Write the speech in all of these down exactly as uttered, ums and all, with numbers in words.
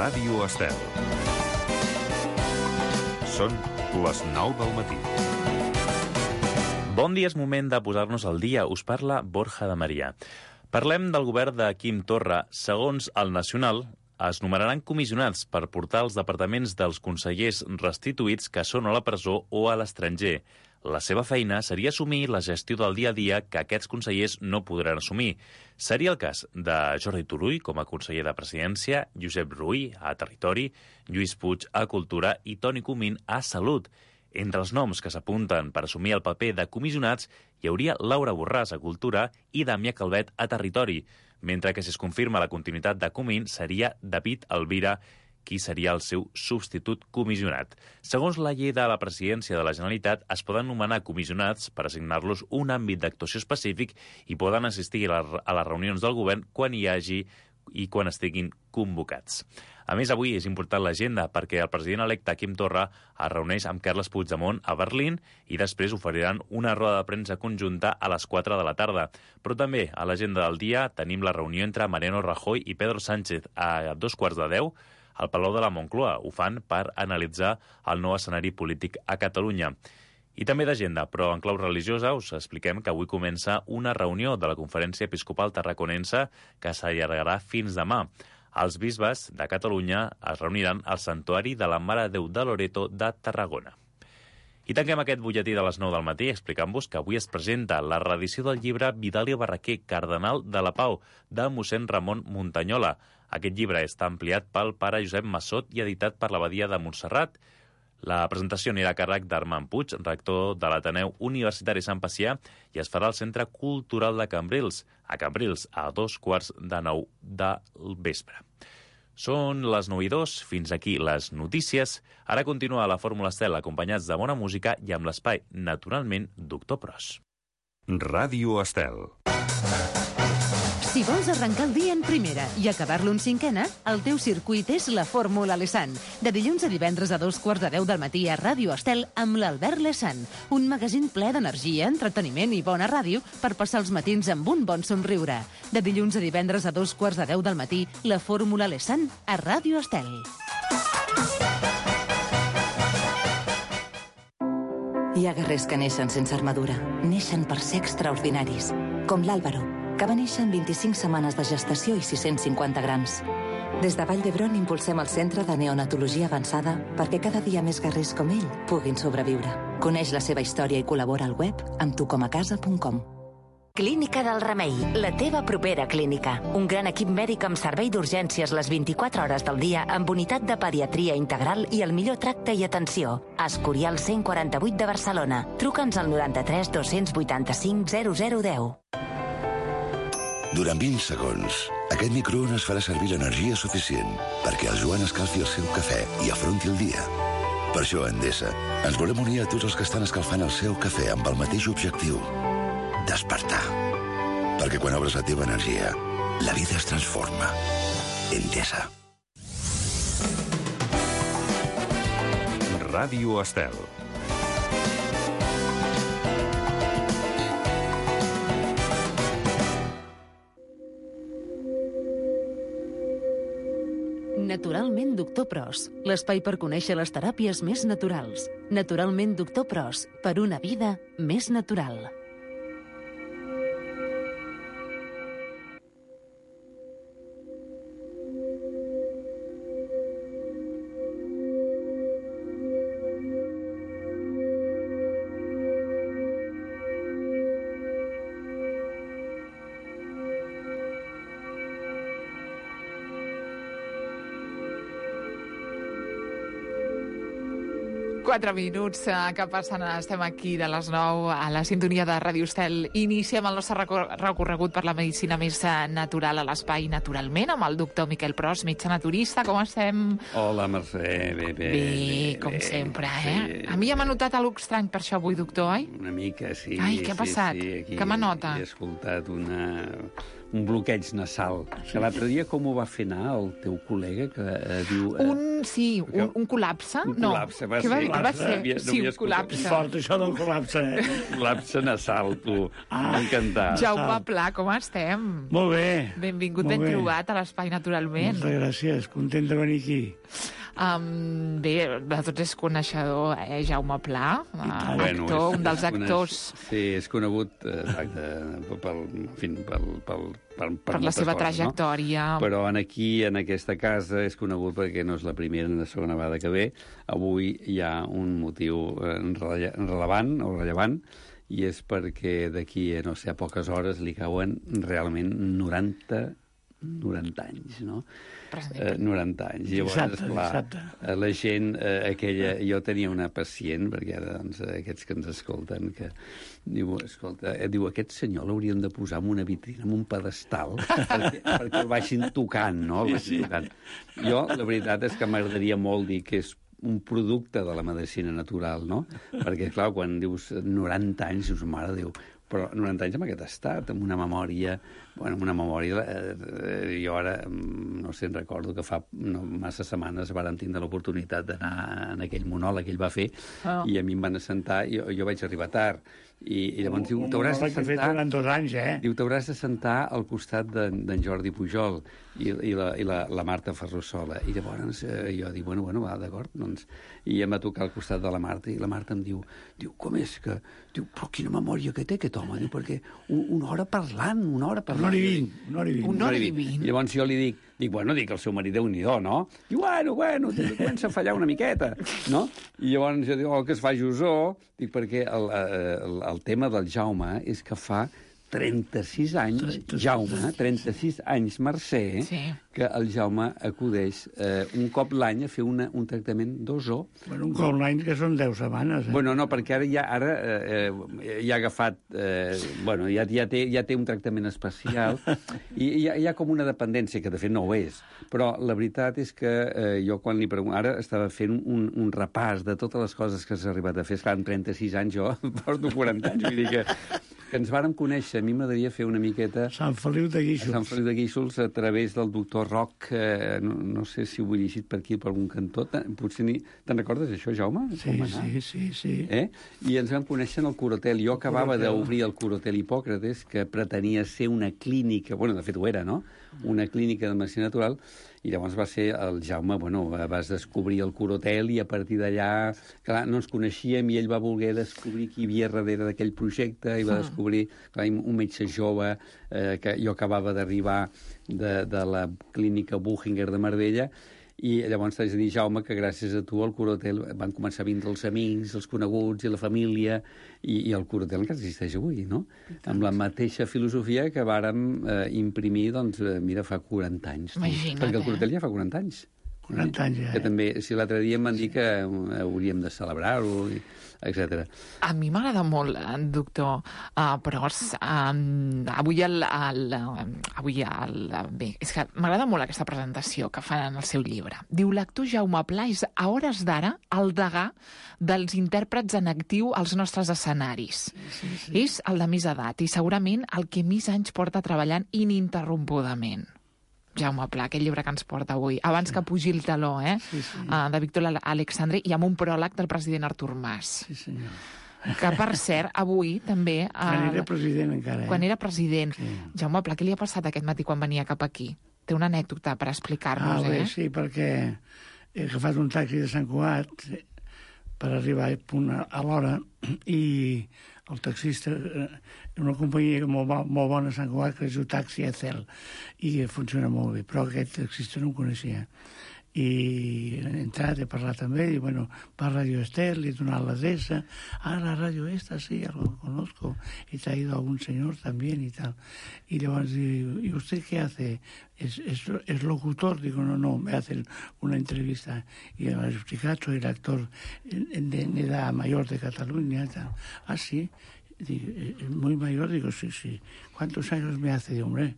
Ràdio Estel. Són les nou del matí. Bon dia, és moment de posar-nos al dia. Us parla Borja de Maria. Parlem del govern de Quim Torra. Segons el Nacional, es numeraran comissionats per portar els departaments dels consellers restituïts que són a la presó o a l'estranger. La seva feina seria assumir la gestió del dia a dia que aquests consellers no podran assumir. Seria el cas de Jordi Turull com a conseller de Presidència, Josep Rull a Territori, Lluís Puig a Cultura i Toni Comín a Salut. Entre els noms que s'apunten per assumir el paper de comissionats hi hauria Laura Borràs a Cultura i Damià Calvet a Territori, mentre que si es confirma la continuïtat de Comín seria David Alvira, qui seria el seu substitut comissionat. Segons la llei de la Presidència de la Generalitat, es poden nomenar comissionats per assignar-los un àmbit d'actuació específic i poden assistir a les reunions del govern quan hi hagi i quan estiguin convocats. A més, avui és important l'agenda perquè el president electe Quim Torra es reuneix amb Carles Puigdemont a Berlín i després oferiran una roda de premsa conjunta a les quatre de la tarda. Però també a l'agenda del dia tenim la reunió entre Mariano Rajoy i Pedro Sánchez a dos quarts de deu al Palau de la Moncloa. Ho fan per analitzar el nou escenari polític a Catalunya. I també d'agenda, però en clau religiosa, us expliquem que avui comença una reunió de la Conferència Episcopal Tarraconense que s'allargarà fins demà. Els bisbes de Catalunya es reuniran al Santuari de la Mare de Déu de Loreto de Tarragona. I tanquem aquest butlletí de les nou del matí explicant-vos que avui es presenta la reedició del llibre Vidal i Barraquer, Cardenal de la Pau, de mossèn Ramon Muntanyola. Aquest llibre està ampliat pel pare Josep Massot i editat per l'Abadia de Montserrat. La presentació anirà a càrrec d'Armand Puig, rector de l'Ateneu Universitari Sant Pacià, i es farà al Centre Cultural de Cambrils, a Cambrils, a dos quarts de nou del vespre. Són les nou i dos, fins aquí les notícies. Ara continua la Fórmula Estel acompanyats de bona música i amb l'espai, naturalment, Doctor Pros. Ràdio Estel. Si vols arrencar el dia en primera i acabar-lo en cinquena, el teu circuit és la Fórmula Lesan. De dilluns a divendres a dos quarts de deu del matí a Ràdio Estel amb l'Albert Lesan. Un magazín ple d'energia, entreteniment i bona ràdio per passar els matins amb un bon somriure. De dilluns a divendres a dos quarts de deu del matí, la Fórmula Lesan a Ràdio Estel. Hi ha guerrers que neixen sense armadura. Neixen per ser extraordinaris. Com l'Àlvaro, que va néixer en vint-i-cinc setmanes de gestació i sis-cents cinquanta grams. Des de Vall d'Hebron impulsem el Centre de Neonatologia Avançada perquè cada dia més guerrers com ell puguin sobreviure. Coneix la seva història i col·labora al web amb tu com a casa punt com. Clínica del Remei, la teva propera clínica. Un gran equip mèdic amb servei d'urgències les vint-i-quatre hores del dia amb unitat de pediatria integral i el millor tracte i atenció. Escorial cent quaranta-vuit de Barcelona. Truca'ns al noranta-tres dos-cents vuitanta-cinc zero zero deu. Durant vint segons, aquest microones farà servir l'energia suficient perquè el Joan escalfi el seu cafè i afronti el dia. Per això, a Endesa, ens volem unir a tots els que estan escalfant el seu cafè amb el mateix objectiu: despertar. Perquè quan obres la teva energia, la vida es transforma. Endesa. Ràdio Estel. Naturalment Doctor Pros, l'espai per conèixer les teràpies més naturals. Naturalment Doctor Pros, per una vida més natural. Quatre minuts que passen, estem aquí de les nou a la sintonia de Ràdio Estel. Iniciem el nostre recorregut per la medicina més natural a l'espai Naturalment amb el doctor Miquel Pros, metge naturista. Com estem? Hola, Mercè. Bé, bé. Bé, com bé, sempre, eh? Sí. A mi ja m'ha notat alguna estrany per això avui, doctor, oi? Una mica, sí. Ai, què ha passat? Sí, sí. Aquí què m'anota? He escoltat una... un bloqueig nasal. Que l'altre dia com ho va fer anar el teu col·lega que eh, diu... Eh, un, sí, un, un col·lapse? Un no. col·lapse, va Què ser. Va, va ser? Havia- no Sí, havia un col·lapse. Fort, això del col·lapse, eh? Col·lapse nasal, tu. Ah, encantat. Jaume Pla, com estem? Molt bé. Benvingut, Molt ben bé. trobat a l'Espai Naturalment. Moltes gràcies, content de venir aquí. Um, bé, de tots és coneixedor, eh, Jaume Pla, uh, Bueno, actor, és- un dels és coneix- actors Sí, és conegut eh, exacte, pel, en fi, pel, pel, per, per, per la moltes seva coses, trajectòria. No? Però en aquí, en aquesta casa, és conegut perquè no és la primera ni la segona vegada que ve. Avui hi ha un motiu eh, relle rellevant o rellevant, i és perquè d'aquí, no sé, a poques hores li cauen realment noranta anys, no? Eh, noranta anys. Llavors, Exacte, esclar, exacte. eh, la gent, eh, aquella... Jo tenia una pacient, perquè ara, doncs, eh, aquests que ens escolten, que diu, escolta, eh, diu, aquest senyor l'hauríem de posar en una vitrina, en un pedestal, perquè, perquè el vagin tocant, no? El vagin tocant. Jo, la veritat és que m'agradaria molt dir que és un producte de la medicina natural, no? Perquè, clar, quan dius noranta anys, dius, mare de Déu, però noranta anys en aquest estat, amb una memòria, bueno, amb una memòria, eh, jo ara, no sé, recordo que fa no, massa setmanes vàrem tindre l'oportunitat d'anar en aquell monòleg que ell va fer, Oh. i a mi em van assentar, i jo, jo vaig arribar tard, i, i llavors diu, Un t'hauràs de monòleg que he fet sentar... durant dos anys, eh? Diu, t'hauràs de sentar al costat d'en de, Jordi Pujol i, i, la, i la, la Marta Ferrusola. I llavors eh, jo dic, bueno, bueno, va, d'acord, doncs... I em va tocar al costat de la Marta, i la Marta em diu, diu, com és que... Diu, però quina memòria que té aquest home, diu, perquè un, una hora parlant, una hora parlant... Una hora i vint, una hora i vint. Una hora i vint. I llavors jo li dic, dic, bueno, dic, el seu marit Déu-n'hi-do, no? Diu, bueno, bueno, diu, comença a fallar una miqueta, no? I llavors jo dic, oh, que es fa Jusó, dic, perquè el, el, el tema del Jaume és que fa trenta-sis anys, trenta-sis. Jaume, trenta-sis anys, Mercè, Sí. que el Jaume acudeix eh, un cop l'any a fer una, un tractament d'ozó. Bueno, un cop l'any que són deu setmanes, eh? Bueno, no, perquè ara ja, ara, eh, eh, ja ha agafat... Eh, bueno, ja, ja, té, ja té un tractament especial i hi ha, hi ha com una dependència, que de fet no ho és. Però la veritat és que eh, jo quan li pregunto... Ara estava fent un, un repàs de totes les coses que s'ha arribat a fer. Esclar, amb trenta-sis anys jo porto quaranta anys, vull dir que, que ens vàrem conèixer. A mi m'agradaria fer una miqueta... Sant Feliu de Guíxols. Sant Feliu de Guíxols a través del doctor Roc, eh, no, no sé si ho he llegit per aquí, per algun cantó. Te- Potser ni... Te'n recordes d'això, Jaume? Sí, Com va anar? sí, sí, sí. Eh? I ens vam conèixer en el Corotel. Jo acabava Corotel. d'obrir el Corotel Hipòcrates, que pretenia ser una clínica, bueno, de fet ho era, no? Una clínica de medicina natural, i llavors va ser el Jaume, bueno, vas descobrir el Corotel i a partir d'allà, clar, no ens coneixíem i ell va voler descobrir qui hi havia darrere d'aquell projecte i va descobrir, clar, un metge jove, eh, que jo acabava d'arribar de, de la clínica Buchinger de Marbella, i llavors t'haig de dir, Jaume, que gràcies a tu al Corotel van començar a vindre els amics, els coneguts i la família, i, i el Corotel encara existeix avui, no? Amb la mateixa filosofia que vàrem eh, imprimir, doncs, eh, mira, fa quaranta anys. tu. Imagina't, Perquè el eh? Corotel ja fa quaranta anys. quaranta anys, ja. Que també, si l'altre dia em van dir que eh, hauríem de celebrar-ho, i- etcètera. A mi m'agrada molt, eh, doctor, uh, però uh, avui el, el, avui el, bé, és que m'agrada molt aquesta presentació que fan en el seu llibre. Diu, l'actor Jaume Pla és a hores d'ara el degà dels intèrprets en actiu als nostres escenaris. Sí, sí. És el de més edat i segurament el que més anys porta treballant ininterrompudament. Jaume Pla, aquest llibre que ens porta avui, abans que pugi el taló, eh? Sí, sí. Uh, de Víctor Alexandre, i amb un pròleg del president Artur Mas. Sí, senyor. Que, per cert, avui també... Uh, Quan era president encara, eh? Quan era president. Sí. Jaume Pla, què li ha passat aquest matí quan venia cap aquí? Té una anècdota per Ah, explicar-nos, bé, eh? sí, perquè he agafat un taxi de Sant Cugat per arribar a punt a a l'hora i el taxista, eh, una companyia molt, bo- molt bona a Sant Cugat que es diu Taxi Ecel i funciona molt bé, però aquest taxista no em coneixia. I he entrat, he parlat amb ell, y bueno, va a Radio Estel, le he donado la adresa, ah, la radio esta, sí, ya lo conozco, y te ha ido algún señor también y tal. Y le van a decir, ¿y usted qué hace? ¿Es, es, es locutor? Digo, no, no, me hacen una entrevista. Y me ha explicado, soy el actor en, de, en edad mayor de Cataluña y tal. Ah, sí. Digo, ¿es muy mayor? Digo, sí, sí. ¿Cuántos años me hace? Digo, hombre,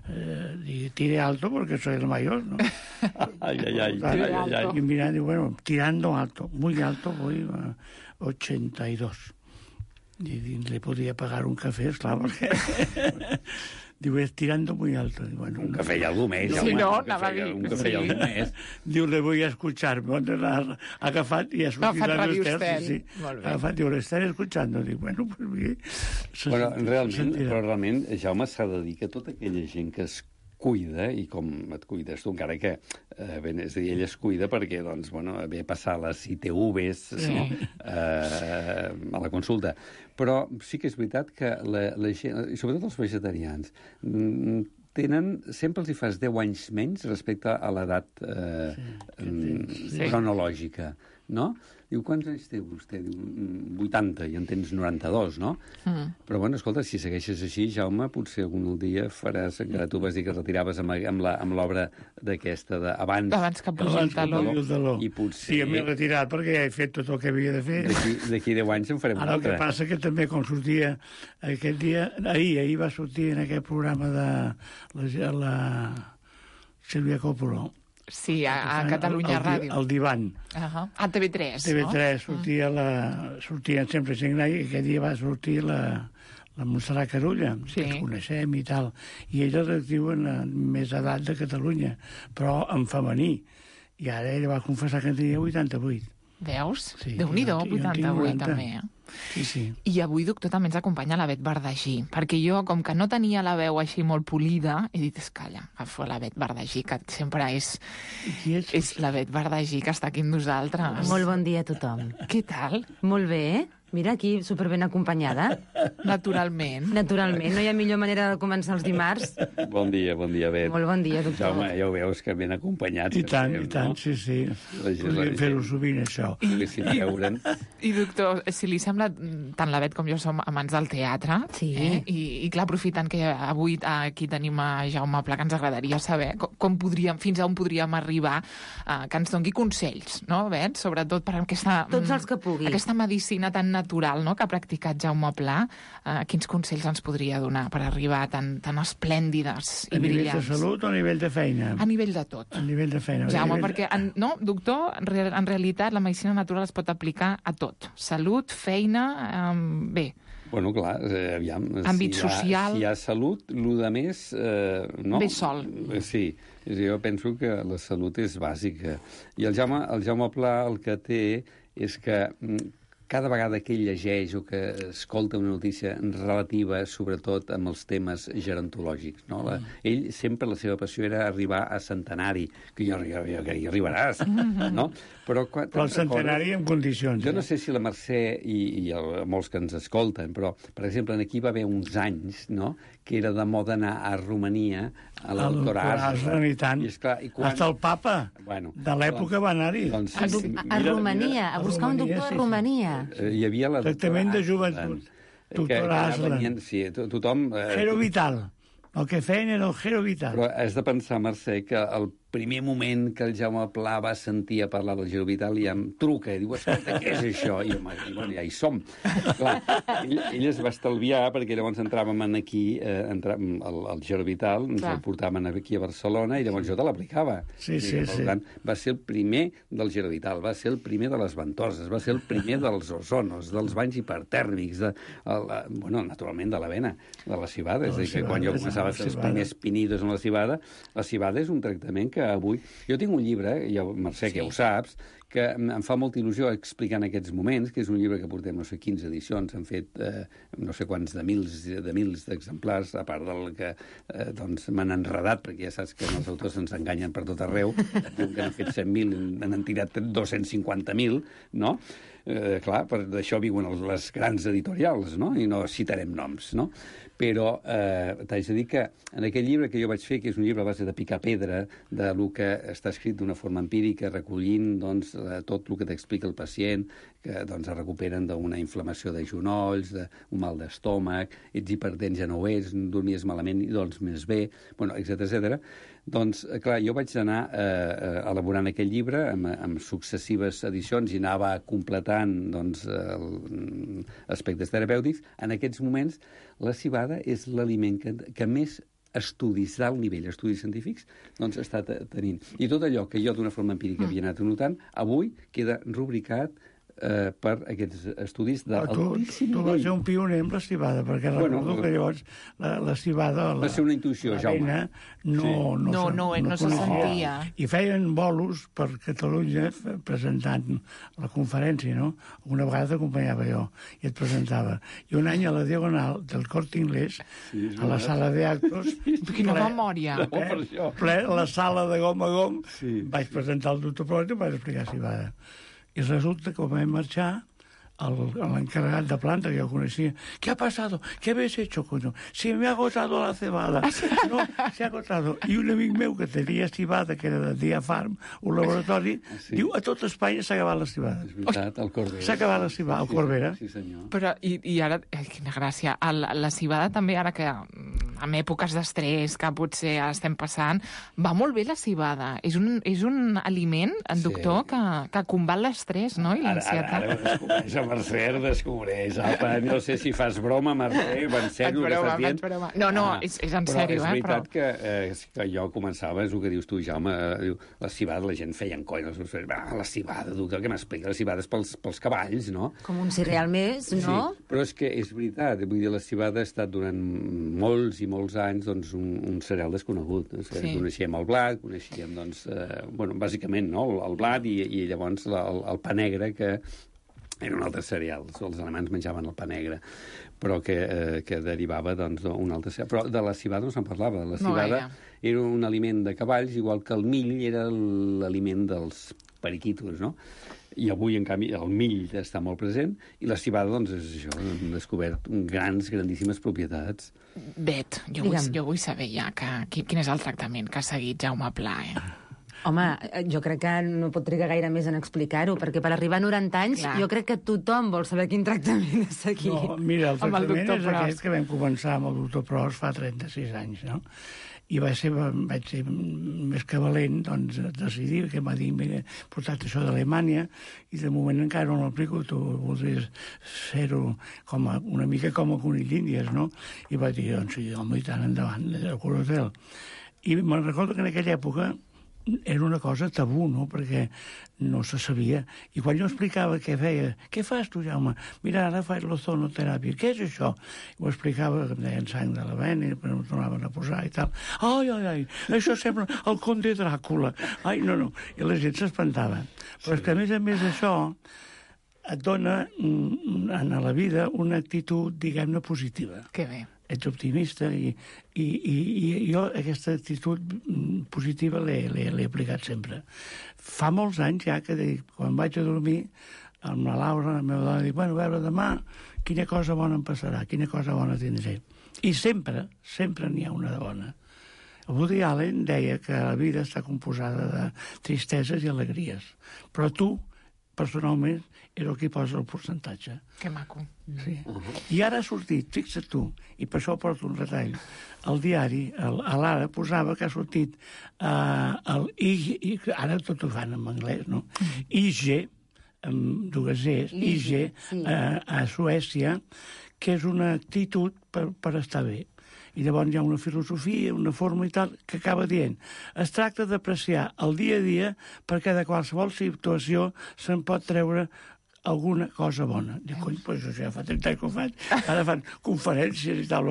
eh, digo, tire alto porque soy el mayor, ¿no? Ay, ay, ay. Claro, ay, ay, ay. y mirando, bueno, tirando alto, muy alto, voy a ochenta y dos. Y le podía pagar un café, claro, porque diu, es tirando muy alto. Diu, bueno, un cafè i algú més. Sí, home, no, un anava a cafè, dir. un cafè i algú més. Diu, le voy a escuchar. Bueno, l'ha agafat i ha sortit Agafat a Radio l'Ester. Estel. Sí, sí. Molt bé. Ha agafat, diu, l'estaré escuchando. Dic, bueno, pues bé. Se Però sentirà, se realment, sentirà. però realment, Jaume, s'ha de dir que tota aquella gent que es cuida, i com et cuides tu, encara que, eh, bé, és a dir, ell es cuida perquè, doncs, bueno, ve a passar les I T Vs sí. no? eh, a la consulta. Però sí que és veritat que la, la gent, i sobretot els vegetarians, mm, tenen, sempre els hi fas deu anys menys respecte a l'edat eh, sí, sí. cronològica, no? Diu, quants anys té vostè? Diu, vuitanta, i en tens noranta-dos, no? Mm. Però, bueno, escolta, si segueixes així, Jaume, potser algun dia faràs, encara tu vas dir que et retiraves amb, amb, la, amb l'obra d'aquesta d'abans. Abans que pugi el taló. El taló. I potser... Sí, m'he retirat perquè ja he fet tot el que havia de fer. D'aquí deu anys en farem Ara, un el que altre. passa que també, com sortia aquest dia, ahir, ahir va sortir en aquest programa de la, la Sílvia Coppolo. Sí, a, a Catalunya el, el, Ràdio. El divan. Uh -huh. A T V tres, T V tres no? sortia la... Sortien sempre gent gran i aquest dia va sortir la, la Montserrat Carulla, Sí. que ens coneixem i tal. I ella es diuen en més edat de Catalunya, però en femení. I ara ella va confessar que en tenia vuitanta-vuit. Veus? Sí, Déu-n'hi-do, jo en tinc vuitanta-vuit, noranta. també, eh? Sí, sí. I avui, doctor, també ens acompanya la Bet Verdagí, perquè jo, com que no tenia la veu així molt polida, he dit, escalla, agafo la Bet Verdagí, que sempre és, I qui ets? és la Bet Verdagí que està aquí amb nosaltres. Molt bon dia a tothom. Què tal? Molt bé. Mira, aquí superben acompanyada. Naturalment. Naturalment, no hi ha millor manera de començar els dimarts. Bon dia, bon dia, Bet. Molt bon dia, doctor. Jaume, ja ho veus que ben acompanyats. I que tant, estem, i tant, no? sí, sí. La gent- Podríem la fer-ho gent- sovint, això. Poguessin veure'n. I, doctor, si li sembla, tant la Bet com jo som amants del teatre, Sí. eh? I, i clar, aprofitant que avui aquí tenim a Jaume Pla, que ens agradaria saber com, com podríem, fins a on podríem arribar, eh, que ens doni consells, no, Bet? Sobretot per aquesta... Tots els que pugui. Aquesta medicina tan natural, no?, que ha practicat Jaume Pla. Eh, quins consells ens podria donar per arribar tan, tan esplèndides i A nivell de brillants? salut o a nivell de feina? A nivell de tot. A nivell de feina. Jaume, A nivell de- perquè, en, no, doctor, en, re, en realitat la medicina natural es pot aplicar a tot. Salut, feina, um, bé. Bueno, clar, eh, aviam... Àmbit si hi ha, social. Si hi ha salut, el de més... Eh, no? Ve sol. Eh, Sí, és a dir, jo penso que la salut és bàsica. I el Jaume, el Jaume Pla el que té és que mm, cada vegada que ell llegeix o que escolta una notícia relativa, sobretot amb els temes gerontològics, no? La, ell sempre la seva passió era arribar a centenari, que jo, jo, jo que hi arribaràs, no? Però, quan, Però el centenari en condicions. jo no eh? sé si la Mercè i, i el, molts que ens escolten, però, per exemple, aquí va haver uns anys, no?, que era de moda anar a Romania, a la El doctora doctor Aslan, i tant. I, esclar, i quan... Hasta el papa Bueno, de l'època va anar-hi. Doncs, A, sí, a Romania, a buscar un Romania, doctor sí, a sí. Romania. eh, hi havia la Tractament de doctora joventut. Aslan, que- Doctora que Aslan. venien- Sí, to- tothom... Eh, Gero Vital. El que feien era el Gero Vital. Però has de pensar, Mercè, que el primer moment que el Jaume Pla va sentir a parlar del Giro Vital ja em truca i diu, escolta, què és això? I, home, i bueno, ja hi som. Clar, ell, ell es va estalviar perquè llavors entràvem en aquí, eh, entràvem al, al Giro Vital, ens Clar. el portaven aquí a Barcelona i llavors jo te l'aplicava. Sí, I, sí, per sí. tant, va ser el primer del Giro Vital, va ser el primer de les ventoses, va ser el primer dels ozonos, dels banys hipertèrmics, de, el, bueno, naturalment de l'avena, de la cibada. És a dir, que quan jo cibada, començava a la fer els cibada. primers pinidos amb la cibada, la cibada és un tractament que avui... Jo tinc un llibre, ja, Mercè, que ja ho saps, que em em fa molta il·lusió explicar en aquests moments, que és un llibre que portem, no sé, quinze edicions, han fet eh, no sé quants de mils de mils d'exemplars, a part del que eh, doncs m'han enredat, perquè ja saps que els autors ens enganyen per tot arreu, diuen que n'han fet cent mil, n'han tirat dos-cents cinquanta mil, no? Eh, clar, per d'això viuen els, les grans editorials, no? I no citarem noms, no? Però eh, t'haig de dir que en aquell llibre que jo vaig fer, que és un llibre a base de picar pedra, de lo que està escrit d'una forma empírica, recollint doncs, eh, tot el que t'explica el pacient, que doncs, es recuperen d'una inflamació de genolls, d'un mal d'estómac, ets hipertens, ja no ho ets, dormies malament i doncs més bé, bueno, etcètera etcètera. Doncs, clar, jo vaig anar eh, elaborant aquell llibre amb, amb successives edicions i anava completant doncs, el, aspectes terapèutics. En aquests moments, la cibada és l'aliment que, que més estudis d'alt nivell, estudis científics, doncs està tenint. I tot allò que jo d'una forma empírica havia anat notant, avui queda rubricat eh, per aquests estudis d'altíssim nivell. Tu vas ser un pioner amb la cibada, perquè bueno, recordo que llavors la, la cibada... La, va ser una intuïció, Jaume. No, sí. no, no, no, no, no se sentia. I feien bolos per Catalunya presentant la conferència, no? Una vegada t'acompanyava jo i et presentava. I un any a la Diagonal del Corte Inglés, sí, a la sala d'actos... Quina memòria! No, per això. Ple, a la sala de gom a gom, sí. Vaig presentar el doctor Prot i vaig explicar cibada. I resulta que vam marxar, l'encarregat de planta que jo coneixia, ¿qué ha pasado? ¿Qué habéis hecho, coño? Si me ha agotado la cebada. No, se ha agotado. I un amic meu que tenia cibada, que era de Diafarm, un laboratori, sí. Diu, a tot Espanya s'ha acabat la cibada. És veritat, el Corbera. S'ha acabat la cibada, el Corbera. Sí, sí, senyor. Però, i, i ara, eh, quina gràcia, el, la cibada també, ara que en èpoques d'estrès que potser estem passant, va molt bé la cibada. És un, és un aliment, doctor, sí. que, que combat l'estrès, no? I l'ansietat. Ara, ara, ara Mercè descobreix. Apa, no sé si fas broma, Mercè, en sèrio que estàs dient. No, no, ah, és, és en sèrio, eh? Però és veritat però... que, eh, que jo començava, és el que dius tu, Jaume, eh, diu, la cibada, la gent feia en coll, ah, la cibada, doctor, què m'explica? La cibada és pels, pels cavalls, no? Com un cereal més, no? Sí, però és que és veritat, vull dir, la cibada ha estat durant molts i molts anys doncs, un, un cereal desconegut. Sí. Coneixíem el blat, coneixíem, doncs, eh, bueno, bàsicament, no?, el, el blat i, i llavors la, el, el pa negre, que era un altre cereal. Els alemans menjaven el pa negre, però que, eh, que derivava doncs, d'un altre cereal. Però de la cibada no se'n parlava. La cibada no, era un aliment de cavalls, igual que el mill era l'aliment dels periquitos, no? I avui, en canvi, el mill està molt present, i la cibada, doncs, és això, hem descobert grans, grandíssimes propietats. Bet, jo vull, jo vull saber ja que, quin és el tractament que ha seguit Jaume Pla, eh? Home, jo crec que no pot trigar gaire més en explicar-ho, perquè per arribar a noranta anys Clar. jo crec que tothom vol saber quin tractament ha seguit. No, mira, el tractament el és Prost. Aquest que vam començar amb el doctor Prost fa trenta-sis anys, no? I vaig ser, vaig ser més que valent, doncs, decidir, que m'ha dit, mira, he portat això d'Alemanya, i de moment encara no l'aplico, tu voldries fer-ho com a, una mica com a conill d'Índies, no? I vaig dir, doncs, sí, home, i tant endavant, el Corotel. I me'n recordo que en aquella època era una cosa tabú, no?, perquè no se sabia. I quan jo explicava què feia, què fas tu, Jaume? Mira, ara faig l'ozonoteràpia. Què és això? I ho explicava, que em deien sang de la vena, i em tornaven a posar i tal. Ai, ai, ai, això sembla el conde Dràcula. Ai, no, no. I la gent s'espantava. Però és que, a més a més d'això, et dona en la vida una actitud, diguem-ne, positiva. Que bé. Ets optimista i, i, i, i jo aquesta actitud positiva l'he aplicat sempre. Fa molts anys ja que dic, quan vaig a dormir amb la Laura, la meva dona, dic, bueno, a veure, demà quina cosa bona em passarà, quina cosa bona tindré. I sempre, sempre n'hi ha una de bona. Woody Allen deia que la vida està composada de tristeses i alegries, però tu, personalment, era el que posa el percentatge. Que maco. Sí. Uh -huh. I ara ha sortit, fixa't tu, i per això porto un retall, el diari, el, a l'Ara, posava que ha sortit uh, el I G, ara tot ho fan en anglès, no? I G, amb dues Gs, I G, sí. uh, a Suècia, que és una actitud per, per estar bé. I llavors hi ha una filosofia, una forma i tal, que acaba dient, es tracta d'apreciar el dia a dia perquè de qualsevol situació se'n pot treure alguna cosa bona. Dic, cony, pues això ja fa trenta anys que ho faig. Ara fan conferències i tal,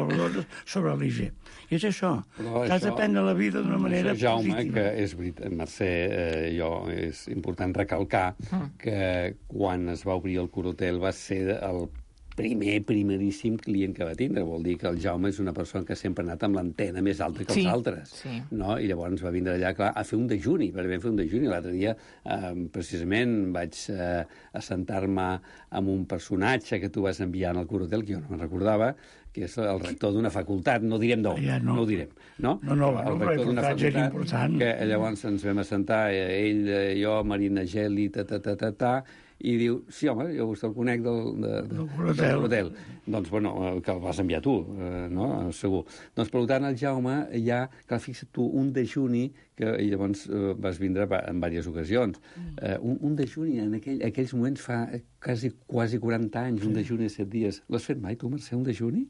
sobre l'I G. I és això. Però has això, de prendre la vida d'una manera això, Jaume, positiva. Que és veritat, Mercè, eh, jo, és important recalcar mm. que quan es va obrir el Corotel va ser el primer, primeríssim client que va tindre. Vol dir que el Jaume és una persona que sempre ha anat amb l'antena més alta que els sí, altres. Sí. No? I llavors va vindre allà, clar, a fer un dejuni, perquè vam fer un dejuni. L'altre dia, eh, precisament, vaig eh, assentar-me amb un personatge que tu vas enviar en el Corotel, que jo no me'n recordava, que és el rector d'una facultat, no direm d'on, ja no. no ho direm, no? No, no, el no rector d'una facultat, que llavors ens vam assentar, ell, jo, Marina Geli, ta, ta, ta, ta, ta, i diu, sí, home, jo vostè el conec del, de, de, del Corotel. Doncs, bueno, que el vas enviar tu, eh, no? Segur. Doncs, per tant, el Jaume ja, que fixa't tu, un dejuni, que i llavors eh, vas vindre en diverses ocasions. Eh, un, un dejuni, en aquell, aquells moments fa quasi, quasi quaranta anys, sí. Un dejuni de set dies. L'has fet mai, tu, Mercè, un dejuni?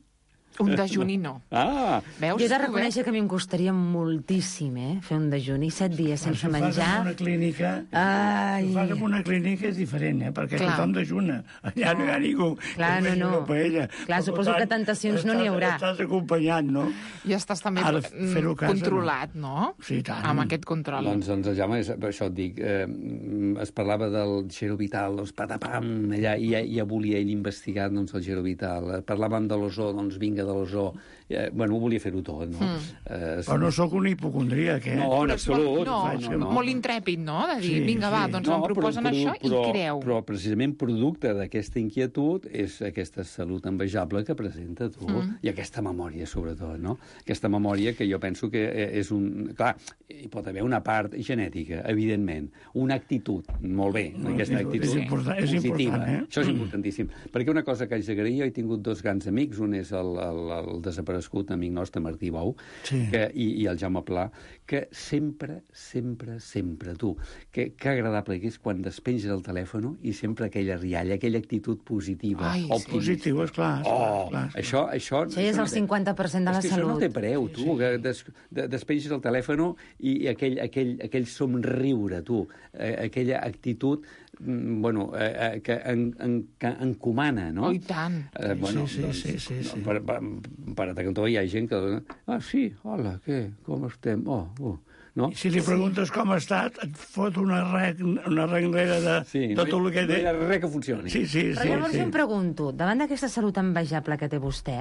Un dejuni no. Ah! Veus? Jo he de reconèixer que a mi em costaria moltíssim, eh, fer un dejuni, set dies sense menjar. Si ho fas en una clínica, Ai. si ho fas en una clínica és diferent, eh? Perquè Clar. tothom dejuna. Allà no hi ha ningú. Clar, que no, vegi no. una paella. Clar, Per suposo tant, que tentacions no n'hi haurà. Estàs acompanyat, no? I estàs també Ara, mm, fer-ho a casa, controlat, no? Sí, tant. Amb aquest control. Doncs, doncs Jaume, és- per això et dic, eh, es parlava del Gero Vital, doncs patapam, allà, i ja, ja volia ell investigar doncs, el Gero Vital. Parlàvem de l'ozó, doncs vinga de l'ozó. Eh, bueno, volia fer-ho tot, no? Mm. Eh, Però no sóc un hipocondríac, eh? No, en Però és molt- absolut. No, no, no. molt intrèpid, no? De dir, Sí, vinga, va, sí. doncs em proposen però, això però, i creu. Però precisament producte d'aquesta inquietud és aquesta salut envejable que presenta tu, mm. i aquesta memòria, sobretot, no? Aquesta memòria que jo penso que és un... Clar, hi pot haver una part genètica, evidentment, una actitud, molt bé, No, aquesta és- actitud és important- és positiva. important, eh? Això és importantíssim. Perquè una cosa que haig d'agrair, jo he tingut dos grans amics, un és el, el, el desaparegut amic nostre, Martí Bou, Sí. que, i, i el Jaume Pla, que sempre, sempre, sempre, tu, que, que agradable que és quan despenges el telèfon i sempre aquella rialla, aquella actitud positiva, Ai, sí. optimista. Positiu, esclar. Oh, esclar, esclar. això, això... Això ja és el cinquanta per cent de la és que salut. Això no té preu, tu, que des, de, despenges el telèfon i, i aquell, aquell, aquell somriure, tu, eh, aquella actitud, mm, bueno, eh, eh, que, en, en, que encomana, no? Oh, i tant. Eh, bueno, Sí, sí, doncs, sí, sí, sí. Per, per, per a cantó hi ha gent que... Ah, sí, hola, què? Com estem? Oh, oh. No? I si li preguntes com ha estat, et fot una rec, una renglera de, Sí, de no, tot el que no té. hi ha res que funcioni. Sí, sí, Però sí. llavors sí. jo em pregunto, davant d'aquesta salut envejable que té vostè,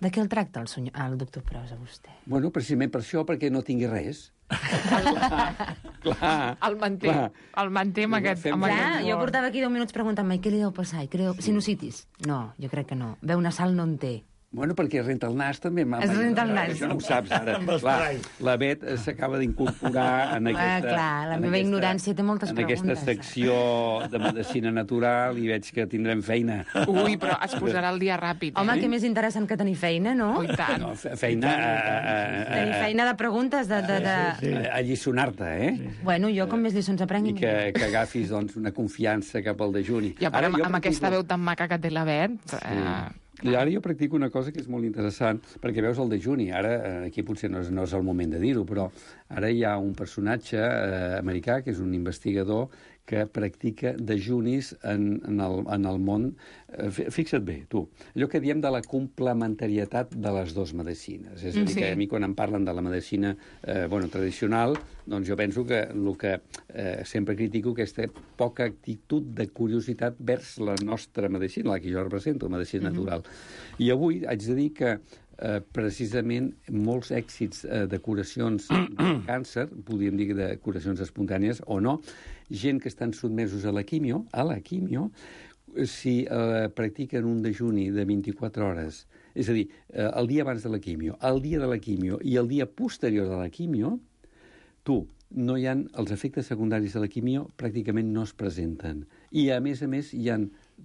de què el tracta el, senyor, el doctor Pros a vostè? Bueno, precisament per això, perquè no tingui res. clar, clar. El manté, clar. el manté amb aquest... Fem- Amb Clar, aquest jo humor. portava aquí deu minuts preguntant-me què li deu passar, i què li deu... Sinusitis? No, jo crec que no. Veu nasal no en té. Bueno, perquè renta el nas també. Es renta el nas. Això no ho saps ara. Amb Clar, esprai. la Bet eh, s'acaba d'incorporar en aquesta... clar, la en meva aquesta- ignorància té moltes en aquesta preguntes. secció de medicina natural i veig que tindrem feina. Ui, però es posarà el dia ràpid, eh? Home, que més interessant que tenir feina, no? Oh, i tant. No, fe- feina a, a, a, Tenir feina de preguntes, de... de, de... Sí. a, a lliçonar-te, eh? Bueno, jo com més lliçons aprengui... I que, que agafis doncs, una confiança cap al dejuni. I a part, amb, jo amb aquesta practico- veu tan maca que té la Bet... Eh, I ara jo practico una cosa que és molt interessant, perquè veus el dejuni, ara eh, aquí potser no és, no és el moment de dir-ho, però ara hi ha un personatge eh, americà, que és un investigador, que practica dejunis en, en, el, en el món. Eh, fixa't bé, tu, allò que diem de la complementarietat de les dues medicines. És a dir, Sí. que a mi quan em parlen de la medicina eh, bueno, tradicional, doncs jo penso que el que eh, sempre critico aquesta poca actitud de curiositat vers la nostra medicina, la que jo represento, la medicina natural. I avui haig de dir que eh, precisament molts èxits eh, de curacions de càncer, podríem dir de curacions espontànies o no, gent que estan sotmesos a la quimio, a la quimio, si eh, practiquen un dejuni de vint-i-quatre hores, és a dir, eh, el dia abans de la quimio, el dia de la quimio i el dia posterior de la quimio, tu, no hi ha, els efectes secundaris de la quimio pràcticament no es presenten. I, a més a més, hi ha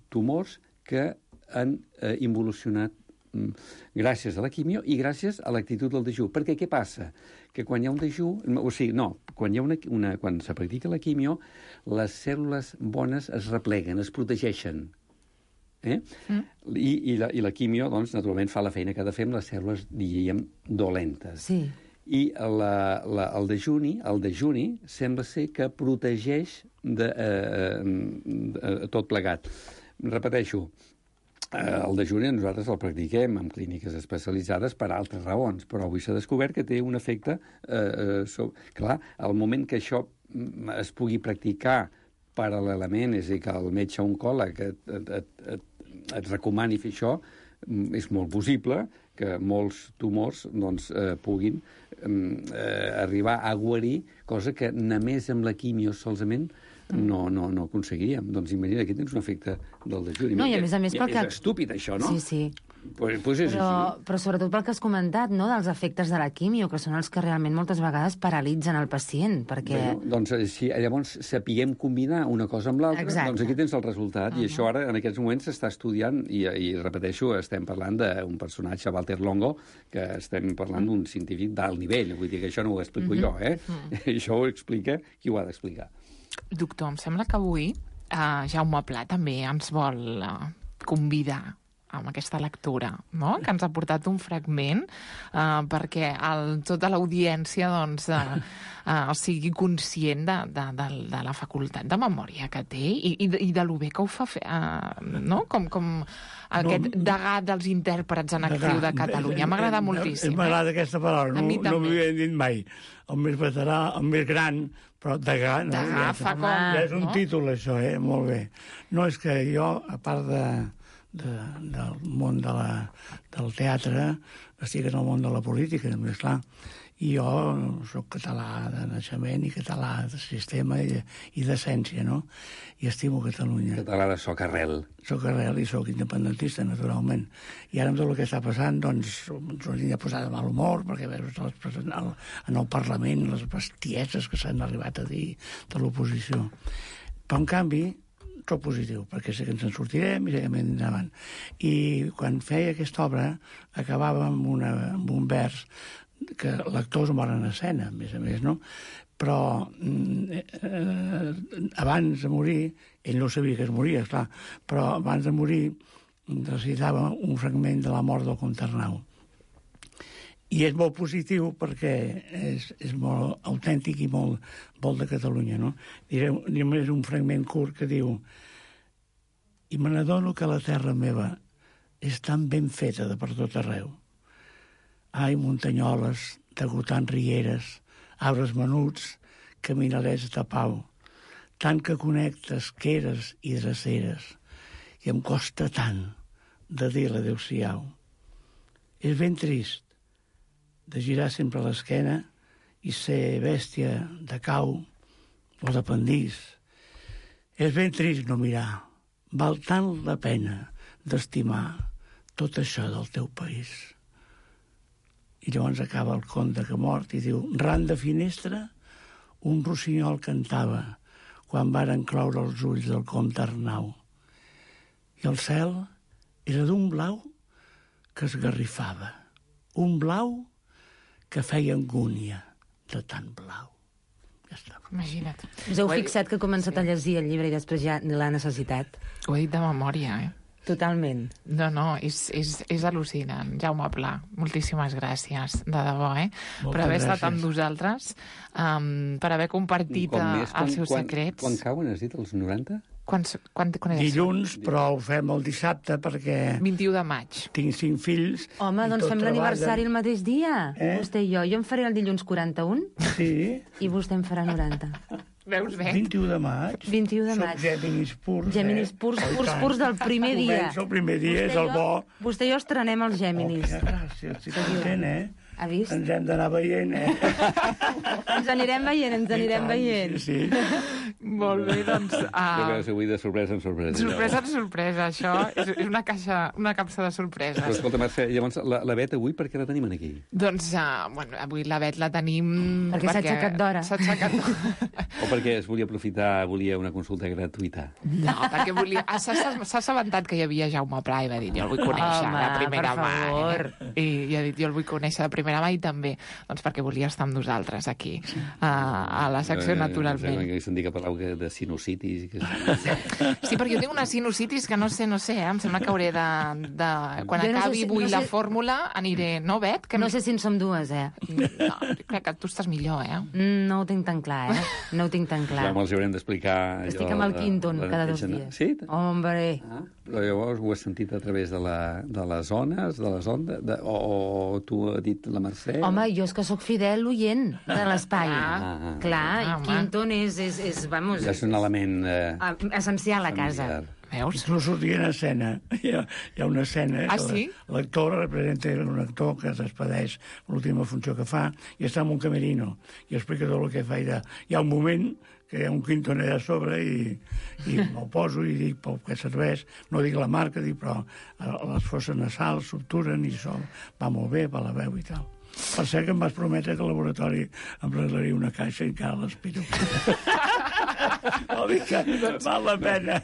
tumors que han eh, involucionat mm, gràcies a la quimio i gràcies a l'actitud del dejú. Perquè què passa? Que quan hi ha un dejú... O sigui, no, quan, hi ha una, una, quan se practica la quimio, les cèl·lules bones es repleguen, es protegeixen. Eh? Mm. I, i, la, I la quimio, doncs, naturalment, fa la feina que ha de fer amb les cèl·lules, diríem, dolentes. Sí. I la, la, el dejuni, el dejuni sembla ser que protegeix de, eh, de tot plegat. Repeteixo, eh, el dejuni nosaltres el practiquem en clíniques especialitzades per altres raons, però avui s'ha descobert que té un efecte... Eh, sobre... Clar, al moment que això es pugui practicar paral·lelament, és a dir, que el metge oncòleg et, et, et, et, et recomani fer això, és molt possible que molts tumors doncs, eh, puguin eh, arribar a guarir, cosa que només amb la quimio solament no, no, no aconseguiríem. Doncs imagina, aquí tens un efecte del dejuni. No, i a més a més pel que- És estúpid, això, no? Sí, sí. Pues, pues és Però, així. però sobretot pel que has comentat, no?, dels efectes de la quimio, que són els que realment moltes vegades paralitzen el pacient, perquè... Bueno, doncs eh, si llavors sapiguem combinar una cosa amb l'altra, Exacte. doncs aquí tens el resultat. Uh -huh. I això ara, en aquests moments, s'està estudiant, i, i repeteixo, estem parlant d'un personatge, Walter Longo, que estem parlant d'un científic d'alt nivell. Vull dir que això no ho explico uh -huh. jo, eh? Uh -huh. Això ho explica qui ho ha d'explicar. Doctor, em sembla que avui eh, Jaume Pla també ens vol eh, convidar amb aquesta lectura, no? Que ens ha portat un fragment eh, perquè el, tota l'audiència doncs, eh, eh, sigui conscient de, de, de, de la facultat de memòria que té i, i, de, i de lo bé que ho fa fer, eh, no? Com, com aquest no, degà dels intèrprets en actiu de Catalunya. M'ha agradat moltíssim. M'agrada eh? aquesta paraula, no, no m'ho havia dit mai. El més veterà, el més gran, però degà... No? Degà fa com... Ja és un no? títol, això, eh? Molt bé. No, és que jo, a part de, de, del món de la, del teatre, estic en el món de la política, més clar. I jo soc català de naixement i català de sistema i, i d'essència, no? I estimo Catalunya. Català de soc arrel. Soc arrel i soc independentista, naturalment. I ara amb tot el que està passant, doncs, ens hauríem de posar de mal humor, perquè veus les, en, el, en el Parlament les bestieses que s'han arribat a dir de l'oposició. Però, en canvi, soc positiu, perquè sé que ens en sortirem i sé que anem endavant. I quan feia aquesta obra, acabava amb, una, amb un vers que l'actors moren a escena, a més a més, no? Però eh, abans de morir, ell no sabia que es moria, esclar, però abans de morir recitava un fragment de la mort del comte Arnau. I és molt positiu perquè és, és molt autèntic i molt, molt de Catalunya, no? Diré només un fragment curt que diu: i me n'adono que la terra meva és tan ben feta de per tot arreu. Ai, muntanyoles, degotant rieres, arbres menuts, caminarets de pau, tant que connecta esqueres i dreceres, i em costa tant de dir l'adéu-siau. És ben trist de girar sempre l'esquena i ser bèstia de cau o de pendís. És ben trist no mirar. Val tant la pena d'estimar tot això del teu país. I llavors acaba el conte que mort i diu: ran de finestra un rossinyol cantava quan varen cloure els ulls del comte Arnau. I el cel era d'un blau que esgarrifava, un blau que feia angúnia de tant blau. Ja està. Imagina't. Us heu fixat que he començat sí. a llegir el llibre i després ja l'ha necessitat? Ho he dit de memòria, eh? Totalment. No, no, és, és, és al·lucinant. Jaume Pla, moltíssimes gràcies, de debò, eh? Moltes per haver gràcies. estat amb nosaltres, um, per haver compartit més, quan, els seus quan, secrets. Quan cauen, has dit, els noranta? Quan, quan, quan és Dilluns, això? Però ho fem el dissabte perquè... vint-i-u de maig. Tinc cinc fills. Home, doncs fem l'aniversari el mateix dia. Eh? Vostè i jo. Jo em faré el dilluns quaranta-un. Sí. I vostè em farà noranta. Veus bé? vint-i-u de maig. vint-i-u de maig. Som Géminis purs. Géminis purs, eh? purs, purs del primer dia. Comença el primer dia, vostè és el bo. Vostè i jo estrenem els Géminis. Oh, quina gràcia, estic content, eh? Ha vist? Ens hem d'anar veient, eh? Ens anirem veient, ens anirem veient. Sí, sí. Molt bé, doncs... Uh... Jo crec que avui de sorpresa en sorpresa. Sorpresa en sorpresa, això és, és una caixa, una capsa de sorpreses. Però escolta, Mercè, llavors la, la Bet avui per què la tenim aquí? Doncs, uh, bueno, avui la Bet la tenim... Perquè s'ha aixecat d'hora. S'ha aixecat d'hora. O perquè es volia aprofitar, volia una consulta gratuïta? No, perquè volia... Ah, s'ha s'ha assabentat que hi havia Jaume Pla i va dir, jo el vull conèixer Home, de primera per mà. favor. Eh? I, I ha dit, jo el vull conèixer de primera mà i també, doncs perquè volia estar amb nosaltres aquí, a, a la secció eh, Naturalment. Eh, se'n dir que parlau de sinusitis. Que... Sí, perquè jo tinc una sinusitis que no sé, no sé, eh? Em sembla que hauré de... de quan jo no acabi sé si, avui no la sé... fórmula aniré... No, Bet? Que no sé si en som dues, eh? No, crec que tu estàs millor, eh? Mm, no ho tinc tan clar, eh? No ho tinc tan clar. Ja els haurem d'explicar... Estic amb el Quinton cada dos dies. Sí? Hombre. Ah, però llavors ho has sentit a través de, la, de les ones, de les ondes, de, o, o tu ha dit la Mercè? Home, jo és que sóc fidel oient de l'espai. Ah, ah, clar, ah, i home. Quinton és, és, és, vamos... És un element... Eh, essencial a casa. familiar. Veus? Inclús sortia en escena. Hi ha, hi ha una escena... Ah, que sí? L'actor representa un actor que es despedeix l'última funció que fa i està en un camerino i explica tot el que fa. I hi ha un moment que hi ha un Quinton allà a sobre i, i me'l poso i dic pel que serveix, no dic la marca, dic, però les fosses nasals s'obturen i això va molt bé per la veu i tal. Per cert que em vas prometre que al laboratori em regalaria una caixa i encara l'espero. Vol dir que val la pena.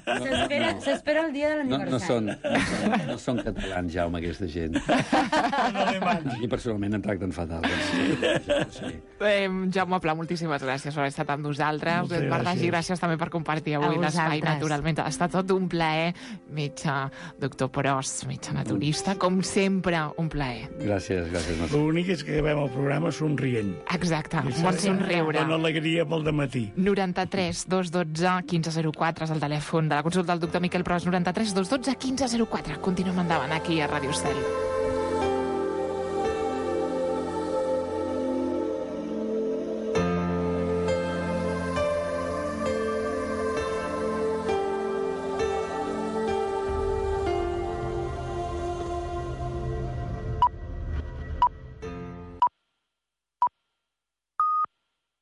S'espera no, no. el dia de No, l'aniversari. no, són, no, són, no són catalans, Jaume, aquesta gent. No, no, I personalment em tracten fatal. Sí. Sí. Eh, Jaume Pla, moltíssimes gràcies per haver estat amb nosaltres. Moltes Bernagi, gràcies. gràcies també per compartir avui A l'espai, vosaltres. naturalment. Ha estat tot un plaer. Metge, doctor Porós, metge naturista, com sempre, un plaer. Gràcies, gràcies. Marta. L'únic és que acabem el programa somrient. Exacte, I un bon això somriure. dona alegria pel dematí. noranta-tres dos dotze quinze zero quatre és el telèfon de la consulta del doctor Miquel Pros. noranta-tres dos dotze quinze zero quatre. Continuem endavant aquí a Ràdio Estel.